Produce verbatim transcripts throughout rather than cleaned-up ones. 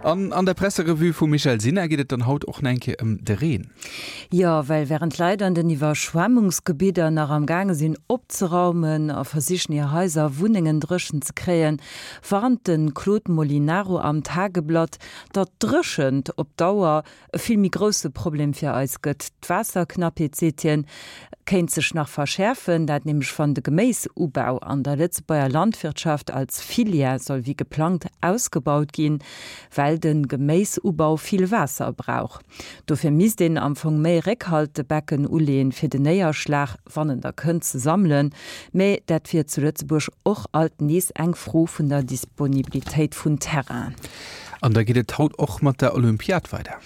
An an der Presserevue vum Michèle Sinner geet et dann haut och nach eng Kéier ëm de Reen. Jo, well wärend d'Leit an den Iwwerschwemmungsgebidder nach am gaange sinn opzeraumen a versichen hir Haiser a Wunnengen dréchen ze kréien, warnt de Claude Molinaro am Tageblatt, datt d'Dréchent op Dauer e vill méi grousse Problem fir eis gëtt. D'Waasserknappheet, seet hien, kéint sech nach verschäerfen, dat nämlech wann de Geméisubau an der Lëtzebuerger Landwirtschaft als Filière soll wéi geplangt ausgebaut ginn, well de Geméisubau vill Waasser brauch. Dofir misst een am Fong méi Réckhaltebecken uleeën, fir den Néierschlag, wann en da kënnt, ze sammelen. Mä dat wier zu Lëtzebuerg och alt nees eng Fro vun der Disponibilitéit vun Terrainen. An da geet et haut och mat der Olympiad weider.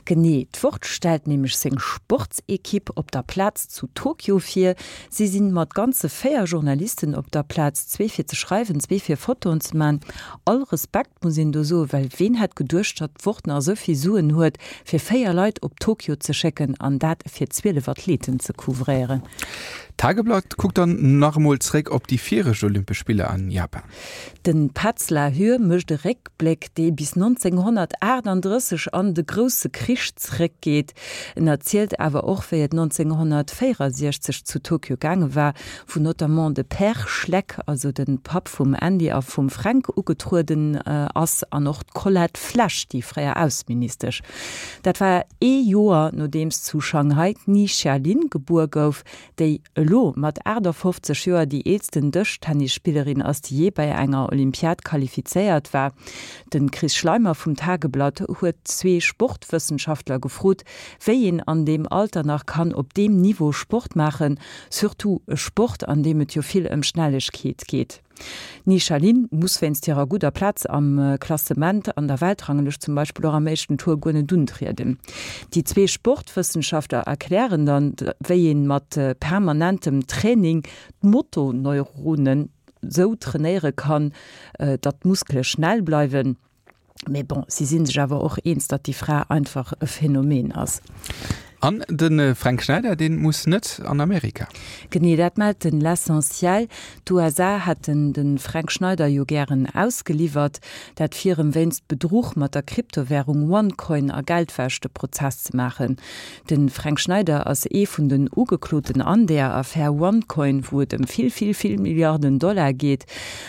Genee, d'Wort stellt nämlech seng Sportsekipp op der Plaz zu Tokio vir. Si sinn mat ganze véier Journalisten op der Plaz, zwee fir ze schreiwen, zwee fir Fotoen ze man. All Respekt muss een do soen, well ween hätt geduecht, datt d'Wort nach esou vill Suen huet, fir véier Leit op Tokio ze schécken an dat fir zwielef Athleten ze couvréieren. D'Tageblatt kuckt dann nach emol zréck op déi viregt Olympesch Spiller an Japan. De Petz Lahure mécht e Réckbléck, dee bis nonzénghonnertaachtanddrësseg an de Grousse Krich zréckgeet. En erzielt awer och, wéi et nonzénghonnertvéierasiechzeg zu Tokio gaange war, wou notamment de Père Schleck, also de Papp vum Andy a vum Fränk, ugetrueden ass an och d'Colette Flesch, déi fréier Ausseministesch. Dat war ee Joer, nodeems zu Shanghai d'Ni Xia Lin gebuer gouf, déi elo mat aachtafoffzeg Joer déi eelsten Dëschtennisspillerin ass, déi jee bei enger Olympiad qualifizéiert war. De Chris Schleimer vum Tageblatt huet zwee Sportwëssenschaftler gefrot, wéi een an deem Alter nach kann op deem Niveau Sport maachen, surtout e Sport, an deem et jo vill ëm Schnellegkeet geet. D'Ni Xia Lin muss wéinst hirer gudder Plaz am Klassement an der Weltranglëscht zum Beispill och am éischten Tour guer net untrieden. Déi zwee Sportwëssenschaftler erklären dann, wéi ee mat permanentem Training d'Motoneuronen sou trainéiere kann, datt d'Muskele schnell bleiwen. Mee bon, si si sech awer och eens, datt déi Fra einfach e Phänomen ass. An de Fränk Schneider, dee muss net an Amerika. Genee, dat mellt den L'Essentiel. D'USA hätten de Fränk Schneider jo gären ausgeliwwert, dat fir em wéinst Bedruch mat der Kryptowärung OneCoin a Geldwäsch de Prozess ze maachen. De Fränk Schneider ass ee vun den Ugekloten an der Affär OneCoin, wou et ëm vill, vill, vill Milliarden Dollar geet.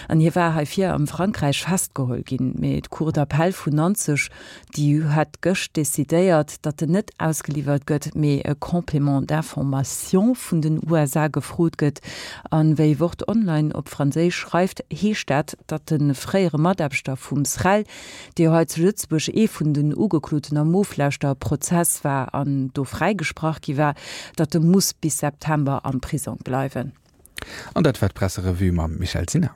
An hie war heifir am Frankräich festgeholl ginn. Mee d'Cour d'appel vun Nanzeg, déi huet gëscht decidéiert, datt en net ausgeliwwert gëtt, mee e Complément d'information vun den U S A gefrot gëtt. An wéi Wort Online op Franséisch schreift, heescht dat, datt de fréiere Mataarbechter vum SREL, dee jo hei zu Lëtzebuerg ee vun den Ugekloten am Oflauschterprozess war an do fräigesprach gi war, datt e muss bis September am Prisong bleiwen. An dat war d'Presserevue mam Michèle Sinner.